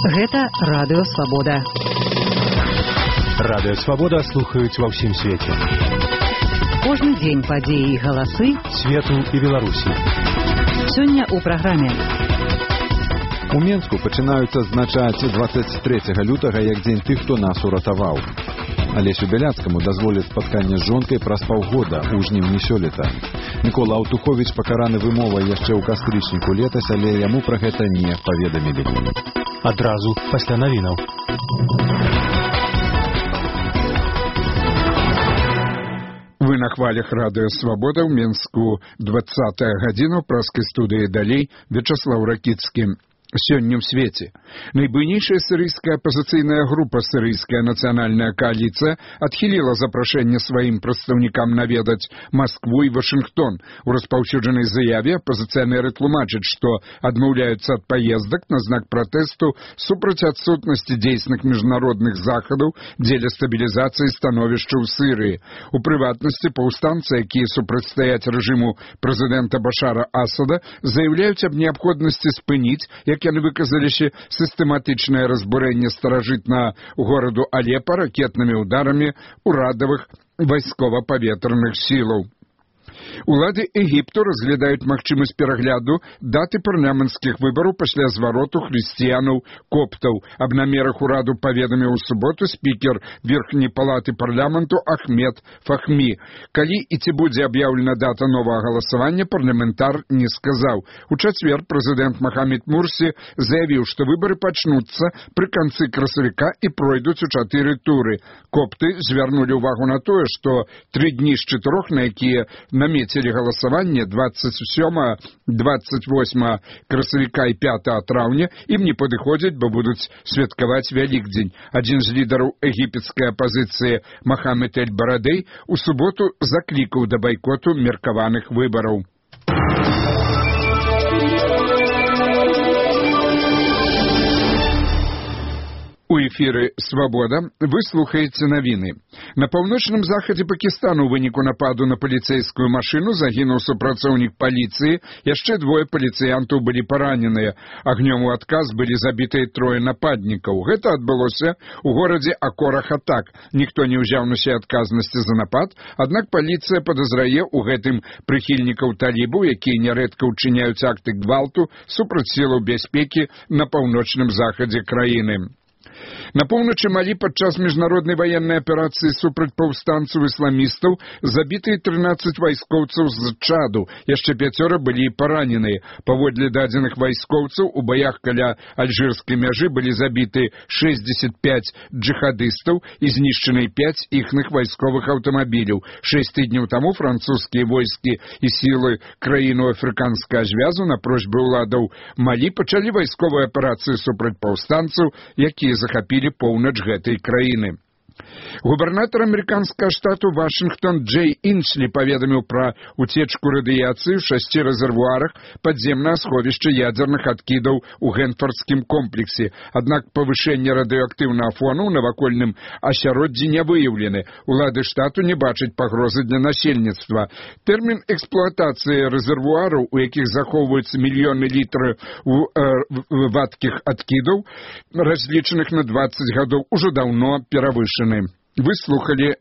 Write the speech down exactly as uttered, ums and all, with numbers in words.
Гэта Радыё Свабода. Радыё Свабода слухаюць ва ўсім свеце. Кожны дзень падзеі і галасы свету і Беларусі. Сёння ў праграме. У Менску пачынаюць адзначаць дваццаць трэцяга лютага як дзень тых, хто нас уратаваў. Алесю Бяляцкаму дазволяць спатканне з жонкай праз паўгода ў жніўні сёлета. Мікола Аўтуховіч пакараны вымовай яшчэ ў кастрычніку летась, але яму пра гэта не паведамілі. Адразу пасля навінаў. Вы на хвалях Радыё Свабода ў Менску. Двадцатая гадзіна ў праскай студыі далей Вячаслаў Ракіцкі. Сёння ў свеце. Найбуйнейшая сірыйская апазіцыйная група «Сірыйская нацыянальная коаліцыя» адхіліла запрашэнне сваім прадстаўнікам наведаць Маскву і Вашынгтон. У распаўсюджанай заяве апазіцыянеры тлумачаць, што адмаўляюцца ад паездак на знак пратэсту супраць адсутнасці дзейсных міжнародных захадаў дзеля стабілізацыі становішча ў Сірыі. У прыватнасці паўстанцы, якія супрацьстаяць рэжыму прэзідэнта Башара Асада, заяўляюць аб неабходнасці спыніць, як яны выказаліся, сістэматычнае разбурэнне старажытнага гораду Алепа ракетнымі ўдарамі урадавых вайскова-паветраных сілаў. Улады Егіпту разглядаюць магчымасць перагляду даты парламенцкіх выбараў пасля звароту хрысціянаў-коптаў. Аб намерах ураду паведаміў у суботу спікер Верхняй палаты парламенту Ахмед Фахмі. Калі і ці будзе аб'яўлена дата новага галасавання, парламентар не сказаў. У чацвер прэзідэнт Махамед Мурсі заявіў, што выбары пачнуцца пры канцы красавіка і пройдуць у чатыры туры. Копты звярнулі ўвагу на тое, што тры дні з чатырох, на якія намецілі галасаванне дваццаць сёмага, дваццаць восьмага красавіка і пятага траўня, ім не падыходзяць, бо будуць святкаваць Вялікдзень. Адзін з лідараў егіпецкай апазіцыі Махамед эль-Барадэй у суботу заклікаў да байкоту меркаваных выбараў. У эфіры «Свабода» вы слухаеце навіны. На паўночным захадзе Пакістану ў выніку нападу на паліцэйскую машыну загінуў супрацоўнік паліцыі, яшчэ двое паліцыянтаў былі параненыя. Агнём у адказ былі забітыя трое нападнікаў. Гэта адбылося ў горадзе Акора-Хатак. Ніхто не ўзяў на сябе адказнасці за напад, аднак паліцыя падазрае ў гэтым прыхільнікаў талібаў, якія нярэдка ўчыняюць акты гвалту супраць сілаў бяспекі на паўночным захадзе краіны. На поўначы Малі падчас міжнароднай ваеннай аперацыі супраць паўстанцаў-ісламістаў забітыя трынаццаць вайскоўцаў з Чаду, яшчэ пяцёра былі параненыя. Паводле дадзеных вайскоўцаў, у баях каля альжырскай мяжы былі забіты шэсцьдзесят пяць джихадыстаў і знішчаны пяць іхных вайсковых аўтамабіляў. Шэсць тыдняў таму французскія войскі і сілы краіну афрыканскага звязу на просьбы ўладаў Малі пачалі вайсковую аперацыю супраць паўстанцаў, якія захапілі поўнач гэтай краіны. Губернатор амерыканскага штату Вашынгтон Джей Інслі паведаміў пра уцечку радыяцыі ў шасці рэзервуарах падземнага сховішча ядзерных адкідаў у Гэнфардскім комплексе. Аднак павышэнне радыеактыўнага фону ў навакольным асяроддзі не выяўлены. Улады штату не бачаць пагрозы для насельніцтва. Тэрмін эксплуатацыі рэзервуараў, у якіх захоўваюцца мільёны літраў вадкіх адкідаў, разлічаных на дваццаць гадоў, ужо даўно перавышаны. Вы слухали